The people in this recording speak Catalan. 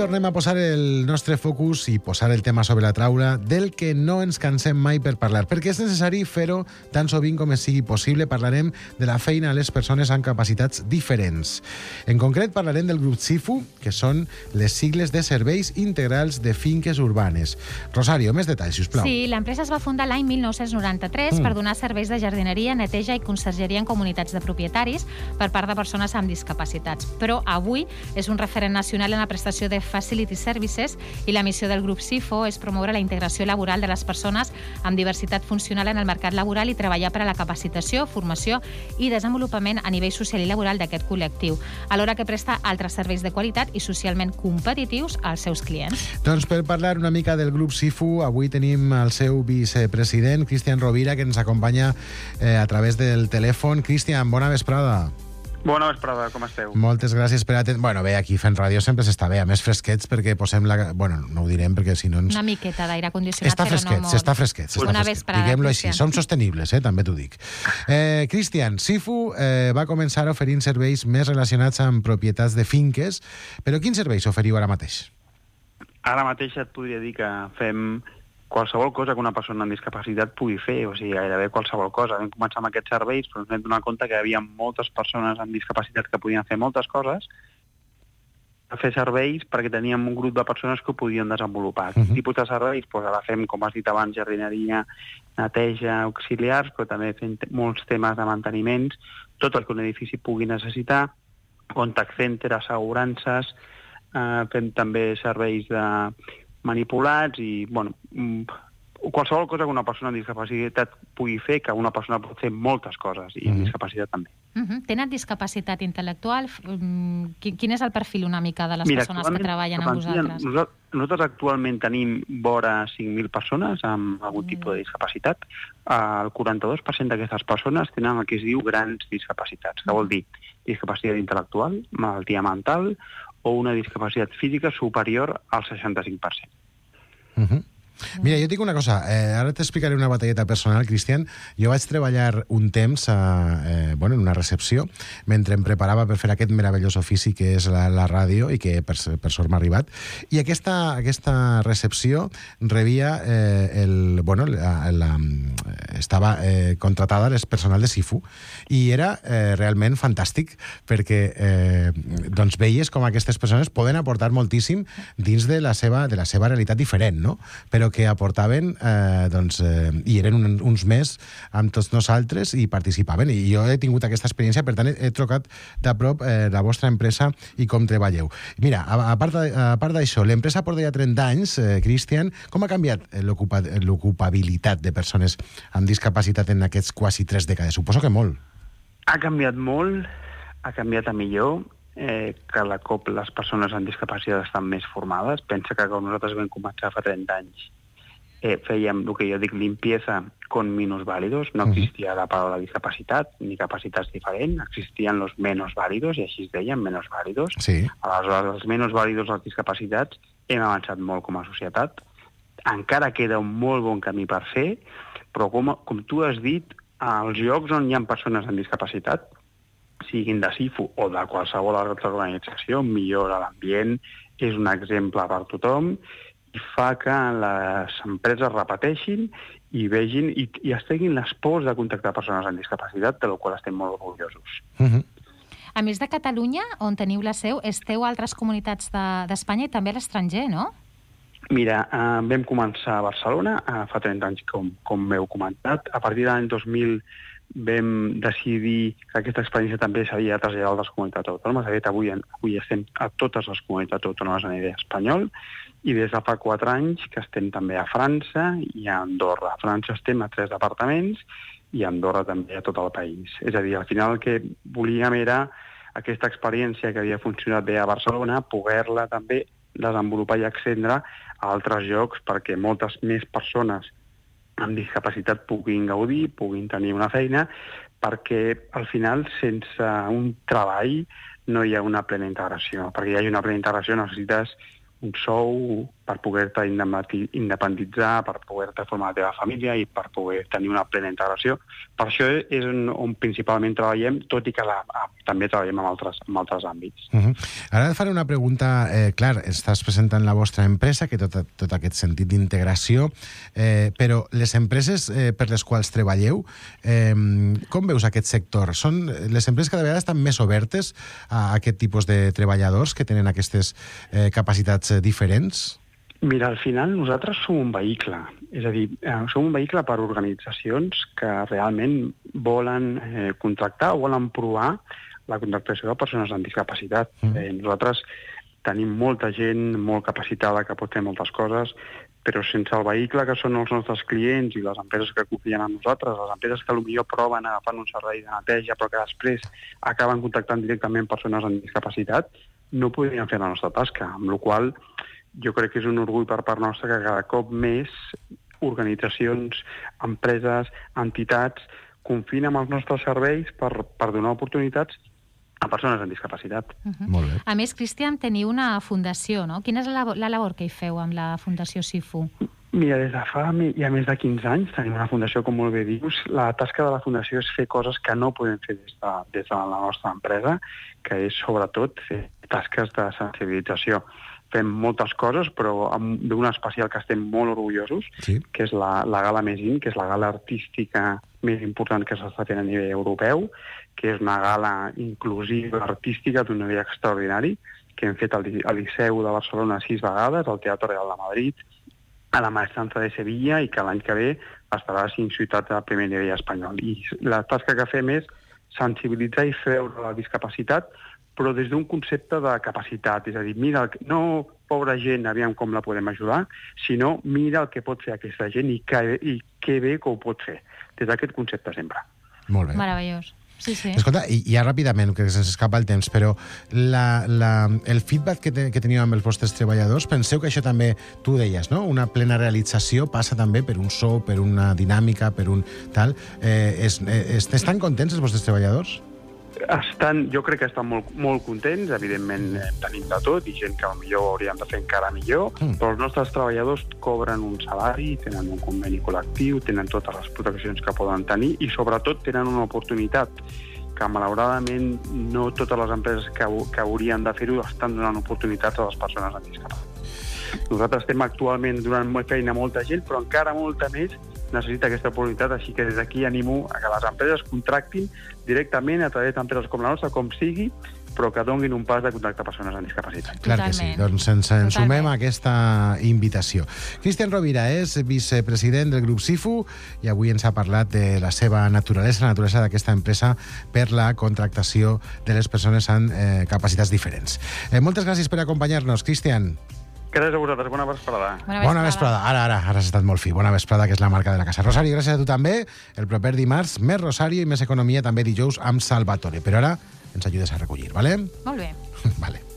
tornem a posar el nostre focus i posar el tema sobre la taula del que no ens cansem mai per parlar, perquè és necessari fer-ho tan sovint com sigui possible. Parlarem de la feina a les persones amb capacitats diferents. En concret, parlarem del grup SIFU, que són les sigles de Serveis Integrals de Finques Urbanes. Rosario, més detalls, sisplau. Sí, l'empresa es va fundar l'any 1993 per donar serveis de jardineria, neteja i consergeria en comunitats de propietaris per part de persones amb discapacitats. Però avui és un referent nacional en la prestació de Facility Services i la missió del grup SIFU és promoure la integració laboral de les persones amb diversitat funcional en el mercat laboral i treballar per a la capacitació, formació i desenvolupament a nivell social i laboral d'aquest col·lectiu, alhora que presta altres serveis de qualitat i socialment competitius als seus clients. Doncs per parlar una mica del grup SIFU, avui tenim el seu vicepresident, Cristian Rovira, que ens acompanya a través del telèfon. Cristian, bona vesprada. Bona vesprada, com esteu? Moltes gràcies per atendre. Bueno, bé, aquí fent ràdio sempre s'està bé, a més fresquets, perquè posem la... Bueno, no ho direm perquè si no ens... Una miqueta d'aire condicionat, està fresquet, però no molt. Està fresquet. Bona vesprada, diguem-lo Cristian. així. Som sostenibles, també t'ho dic. Cristian, SIFU va començar oferint serveis més relacionats amb propietats de finques, però quins serveis oferiu ara mateix? Ara mateix et podria dir que fem qualsevol cosa que una persona amb discapacitat pugui fer, o sigui, gairebé qualsevol cosa. Vam començar amb aquests serveis, però ens vam donar compte que hi havia moltes persones amb discapacitat que podien fer moltes coses, a fer serveis perquè teníem un grup de persones que ho podien desenvolupar. Quin tipus de serveis? Doncs ara fem, com has dit abans, jardineria, neteja, auxiliars, però també fem molts temes de manteniments, tot el que un edifici pugui necessitar, contact center, assegurances, fem també serveis de manipulats i, bueno, qualsevol cosa que una persona amb discapacitat pugui fer, que una persona pot fer moltes coses, i amb discapacitat també. Tenen discapacitat intel·lectual? Quin és el perfil una mica de les persones que treballen amb vosaltres? Nosaltres actualment tenim vora 5.000 persones amb algun tipus de discapacitat. El 42% d'aquestes persones tenen el que es diu grans discapacitats, que vol dir discapacitat intel·lectual, malaltia mental o una discapacitat física superior al 65%. Mira, jo dic una cosa, ara t'explicaré una batalleta personal, Cristian. Jo vaig treballar un temps en una recepció, mentre em preparava per fer aquest meravellós ofici que és la ràdio i que per sort m'ha arribat. I aquesta recepció rebia estava contratada el personal de SIFU i era realment fantàstic perquè veies com aquestes persones poden aportar moltíssim dins de la seva realitat diferent, no? Però que aportaven, i eren uns més amb tots nosaltres i participaven. I jo he tingut aquesta experiència, per tant, he trucat de prop la vostra empresa i com treballeu. Mira, a part d'això, l'empresa porta ja 30 anys, Cristian. Com ha canviat l'ocupabilitat de persones amb discapacitat en aquests quasi 3 dècades? Suposo que molt. Ha canviat molt, ha canviat a millor. Cada cop les persones amb discapacitat estan més formades. Pensa que quan nosaltres vam començar fa 30 anys fèiem el que jo dic limpieza con minusválidos. No existia la paraula discapacitat ni capacitats diferents, existien los menos válidos i així es deien, menos válidos. Sí. Aleshores, els menos válidos, les discapacitats, hem avançat molt com a societat. Encara queda un molt bon camí per fer, però com tu has dit, als llocs on hi ha persones amb discapacitat, siguin de SIFU o de qualsevol altra organització, millora l'ambient, és un exemple per tothom i fa que les empreses repeteixin i vegin i es treguin les pors de contactar persones amb discapacitat, de la qual estem molt orgullosos. A més de Catalunya, on teniu la seu, esteu a altres comunitats d'Espanya i també a l'estranger, no? Mira, vam començar a Barcelona fa 30 anys, com m'heu comentat. A partir de l'any 2000 vam decidir que aquesta experiència també s'havia de traslladar a altres comunitats autònomes. De fet, avui estem a totes les comunitats autònomes a nivell espanyol i des de fa 4 anys que estem també a França i a Andorra. A França estem a 3 departaments i a Andorra també a tot el país. És a dir, al final el que volíem era aquesta experiència que havia funcionat bé a Barcelona, poder-la també desenvolupar i accendre a altres llocs perquè moltes més persones amb discapacitat puguin gaudir, puguin tenir una feina, perquè al final sense un treball no hi ha una plena integració. Perquè hi hagi una plena integració necessites un sou, per poder-te independitzar, per poder-te formar la teva família i per poder tenir una plena integració. Per això és on principalment treballem, tot i que també treballem en altres àmbits. Ara et faré una pregunta. Clar, estàs presentant la vostra empresa, que tot aquest sentit d'integració, però les empreses per les quals treballeu, com veus aquest sector? Són les empreses cada vegada estan més obertes a aquest tipus de treballadors que tenen aquestes capacitats diferents? Mira, al final nosaltres som un vehicle, és a dir, som un vehicle per a organitzacions que realment volen contractar o volen provar la contractació de persones amb discapacitat. Nosaltres tenim molta gent molt capacitada que pot fer moltes coses, però sense el vehicle que són els nostres clients i les empreses que confien en nosaltres, les empreses que potser proven agafant un servei de neteja però que després acaben contactant directament persones amb discapacitat, no podrien fer la nostra tasca, amb la qual cosa jo crec que és un orgull per part nostra que cada cop més organitzacions, empreses, entitats confien en els nostres serveis per donar oportunitats a persones amb discapacitat. Molt bé. A més, Cristian, teniu una fundació, no? Quina és la labor que hi feu amb la Fundació SIFU? Mira, des de fa ja més de 15 anys tenim una fundació, com molt bé dius. La tasca de la fundació és fer coses que no podem fer des de la nostra empresa, que és sobretot fer tasques de sensibilització. Fem moltes coses, però d'una especial que estem molt orgullosos, que és la Gala Mesin, que és la gala artística més important que s'està fent a nivell europeu, que és una gala inclusiva artística d'un nivell extraordinari, que hem fet al Liceu de Barcelona 6 vegades, al Teatre Real de Madrid, a la Maestrança de Sevilla, i que l'any que ve estarà a 5 ciutats de primer nivell espanyol. I la tasca que fem és sensibilitzar i treure la discapacitat, però des d'un concepte de capacitat. És a dir, mira, no pobra gent, aviam com la podem ajudar, sinó mira el que pot fer aquesta gent i que bé que ho pot fer. Des d'aquest concepte sempre. Molt bé. Meravellós. Sí, sí. Escolta, i ja ràpidament, que se'ns escapa el temps, però el feedback que teníeu amb els vostres treballadors, penseu que això també, tu deies, no? Una plena realització passa també per un sou, per una dinàmica, per un tal. Estan contents els vostres treballadors? Jo crec que estan molt contents, evidentment tenim de tot, i gent que potser hauríem de fer encara millor, però els nostres treballadors cobren un salari, tenen un conveni col·lectiu, tenen totes les proteccions que poden tenir i sobretot tenen una oportunitat que malauradament no totes les empreses que haurien de fer-ho estan donant oportunitats a les persones amb discapacitat. Nosaltres estem actualment donant feina a molta gent, però encara molta més necessita aquesta oportunitat, així que des d'aquí animo a que les empreses contractin directament a través d'empreses com la nostra, com sigui, però que donin un pas de contactar persones amb discapacitat. Clar que sí, doncs ens sumem a aquesta invitació. Cristian Rovira és vicepresident del grup SIFU i avui ens ha parlat de la seva naturalesa, la naturalesa d'aquesta empresa per la contractació de les persones amb capacitats diferents. Moltes gràcies per acompanyar-nos, Cristian. Gràcies a vosaltres, bona vesprada. Bona vesprada. Ara has estat molt fi. Bona vesprada, que és la marca de la casa. Rosari, gràcies a tu també. El proper dimarts, més Rosari i més economia, també dijous amb Salvatore. Però ara ens ajudes a recollir, vale? Molt bé. Vale.